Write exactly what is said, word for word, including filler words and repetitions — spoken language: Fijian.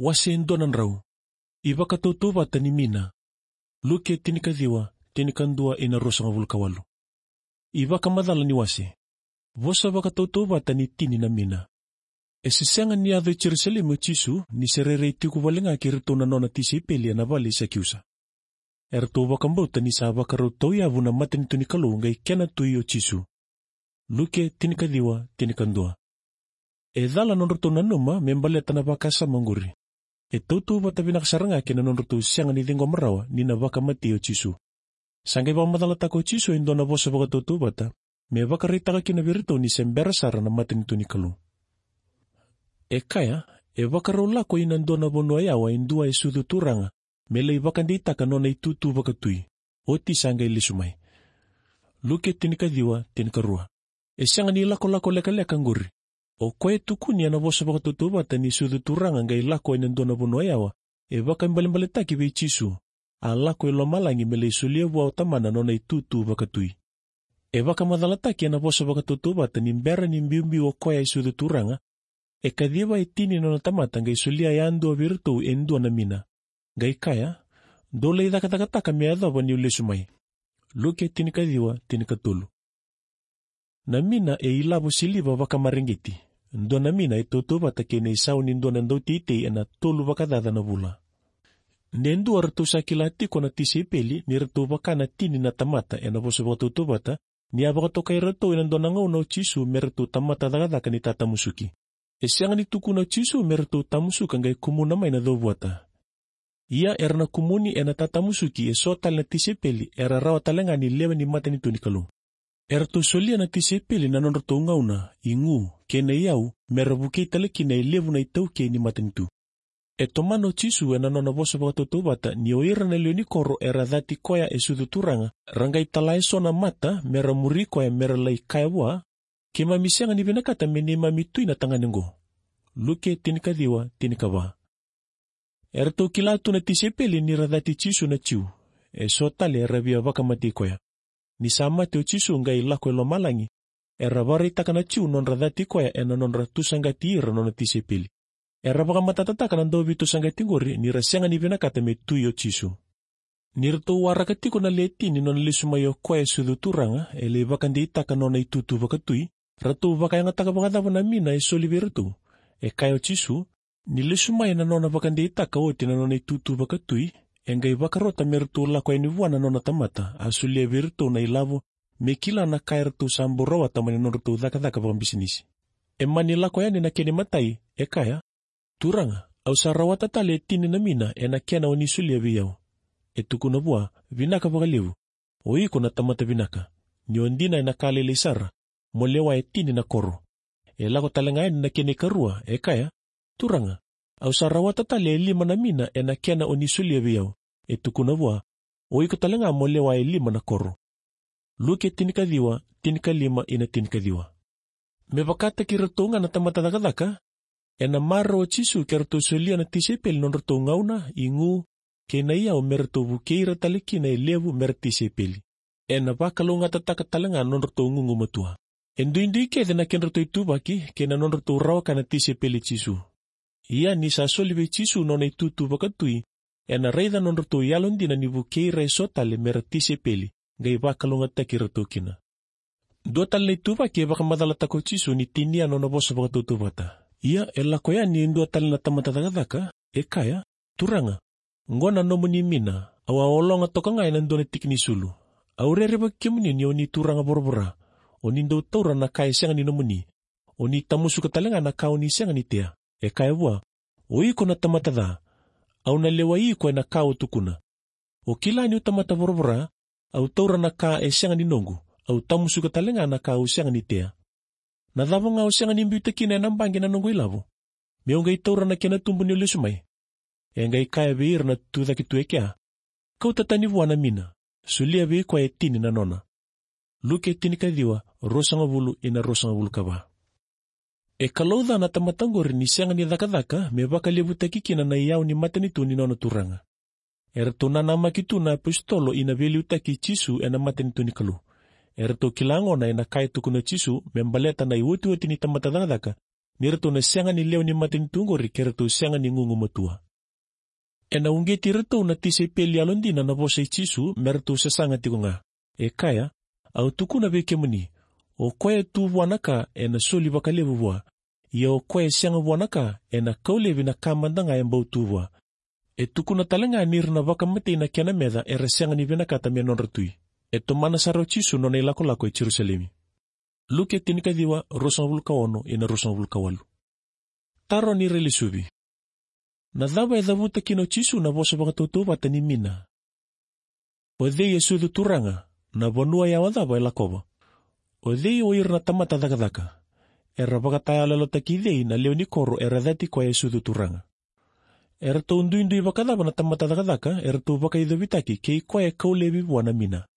Wase e dua na drau. iVakatautauvata ni mina. Luke tinikaciwa, tinikadua ina ruasagavulu ka walu. iVakamacala ni wase. Vosa vakatautauvata ni tini na mina. E se sega ni yaco i Jerusalemi o Jisu, ni se rairai tiko vale ga kei iratou na nona tisaipeli ena vale i Sakiusa. Eratou vakabauta ni sa vakarau tauyavu na matanitu ni Kalou qai kena Tui o Jisu. Luke tinikaciwa, tinikadua. E cala nodratou nanuma me baleta na vakasama oqori. E tautauvata vinaka sara ga kei na nodratou sega ni ciqoma rawa ni na vakamatei o Jisu. Sa qai vakamacalataka o Jisu e dua na vosa vakatautauvata, me vakaraitaka kina vei iratou ni se bera sara na matanitu ni Kalou. E kaya, e vakarau lako ina dua na vanua yawa e dua e sucu turaga, me lai vakadeitaka nona itutu vakatui, oti sa qai lesu mai. Luke tinikaciwa, tinikarua. E sega ni lakolako lekaleka oqori. O koya e tukuni ena vosa vakatautauvata ni sucu turaga qai lako ena dua na vanua yawa, e vakaibalebaletaki vei Jisu, a lako i lomalagi me lai solia vua o Tamana nona itutu vakatui. E vakamacalataki ena vosa vakatautauvata ni bera ni biubiu o koya e sucu turaga, e kaciva e tini na nona tamata qai solia yadua vei iratou e dua na mina. Qai kaya, dou lai cakacakataka me yacova niu lesu mai. Luke tinikaciwa, tinikatolu. Na mina e ilavo siliva vakamareqeti. Dua na mina e tautauvata kei na isau ni dua na dauteitei ena tolu vakacaca na vula. De dua ratou sa kila tiko na tisaipeli ni ratou vaka na tini na tamata ena vosa vakatautauvata, ni a vakatokai iratou ena dua na gauna o Jisu me ratou tamata cakacaka ni tatamusuki. E sega ni tukuna o Jisu me ratou tamusuka qai kumuna mai na covuata. Ia era na kumuni ena tatamusuki eso tale na tisaipeli era rawa tale ga ni lewe ni matanitu ni Kalou. Eratou solia na tisaipeli na nodratou gauna, igu, kei na iyau, me ra vukei tale kina e levu na itaukei ni matanitu. E tomana o Jisu ena nona vosa vakatautauvata ni o ira na lewe ni koro era cati koya e sucu turaga, ra qai tala eso na mata me ra muri koya me ra lai kaya vua, keimami sega ni vinakata me neimami tui na tagane oqo. Luke tinikaciwa, tinikava. Eratou kila tu na tisaipeli ni ra cati Jisu na Jiu. Eso tale era via vakamatei koya. Ni sa mate o Jisu qai lako e lomalagi, era vakaraitaka na Jiu nodra cati koya ena nodra tusaqati ira nona tisaipeli. Era vakamatatataka na dauveitusaqati qori ni ra sega ni vinakata me tui o Jisu. Ni ratou waraka tiko na le tini nona lesu mai o koya e sucu turaga, e lai vakadeitaka nona itutu vakatui, ratou vakayagataka vakacava na mina e soli vei iratou? E kaya o Jisu, ni lesu mai na nona vakadeitaka oti na nona itutu vakatui, e qai vakarota me ratou lako yani vua na nona tamata, a solia vei iratou na ilavo, me kila na ka eratou sa bau rawata mai na nodratou cakacaka vakabisinisi. E mani lako yani na kena imatai, e kaya, Turaga, au sa rawata tale e tini na mina ena kena o ni solia vei au. E tukuna vua, vinaka vakalevu, o iko na tamata vinaka. Ni o dina ena ka lailai sara, mo lewa e tini na koro. E lako tale ga yani na kena ikarua, e kaya, Turaga, au sa rawata tale e lima na mina ena kena o ni solia vei au. E tukuna vua, o iko tale ga mo lewa e lima na koro. Luke tinikaciwa, tinikalima ina tinikaciwa. Me vakataki iratou ga na tamata cakacaka, ena marau o Jisu ke ratou solia na tisaipeli nodratou gauna, igu, kei na iyau me ratou vukei ira tale kina e levu me ra tisaipeli. Ena vakalougatataka tale ga nodratou gugumatua. E duidui kece na kedratou ituvaki kei na nodratou rawaka na tisaipeli Jisu. Ia ni sa soli vei Jisu nona itutu vakatui, ena raica nodratou yalodina ni vukei ira eso tale me ra tisaipeli, qai vakalougatataki iratou kina. Dua tale na ituvaki e vakamacalataka o Jisu ni tinia nona vosa vakatautauvata. Ia e lako yani e dua tale na tamata cakacaka, e kaya, Turaga, oqo na nomuni mina, au a ologa toka ga ena dua na tiki ni sulu. Au rerevaki kemuni ni o ni turaga voravora, o ni dau taura na ka e sega ni nomuni, o ni tamusuka tale ga na ka o ni sega ni tea. E kaya vua, o iko na tamata ca, au na lewai iko ena ka o tukuna. O kila niu tamata voravora, au taura na ka e sega ni noqu, au tamusuka tale ga na ka au sega ni tea. Na cava ga o sega ni biuta kina ena baqe na noqu ilavo, meu qai taura na kena tubu niu lesu mai? E qai kaya vei ira na tucake tu e kea, kauta tani vua na mina, solia vei koya e tini na nona. Luke tinikaciwa, ruasagavulu ina ruasagavulu ka va. E kalouca na tamata oqori ni sega ni cakacaka me vakalevutaki kina na iyau ni matanitu ni nona turaga. Eratou nanamaki tu na apositolo ina veiliutaki Jisu ena matanitu ni Kalou. Eratou kila gona ena ka e tukuna o Jisu me baleta na iotioti ni tamata cakacaka, ni ratou na sega ni lewe ni matanitu oqori ke ratou sega ni gugumatua. Ena uqeti iratou na tisaipeli yalodina na vosa i Jisu me ratou sasaga tiko ga. E kaya, au tukuna vei kemuni, o koya e tu vua na ka ena soli vakalevu vua, ia o koya e sega vua na ka ena kau laivi na ka mada ga e bau tu vua. E tukuna tale ga ni ra na vakamatei na kena meca era sega ni vinakata me nodra tui. E tomana sara o Jisu nona ilakolako e Jerusalemi. Luke tinikaciwa, ruasagavulu ka ono ina ruasagavulu ka walu. Taro ni railesuvi. Na cava e cavuta kina o Jisu na vosa vakatautauvata ni mina? O cei e sucu turaga, na vanua yawa cava e lakova? O cei o ira na tamata cakacaka? Era vakatayaloyalotaki cei na lewe ni koro era cati koya e sucu turaga? Eratou duidui vakacava na tamata cakacaka eratou vakaicovitaki kei koya e kau laivi vua na mina?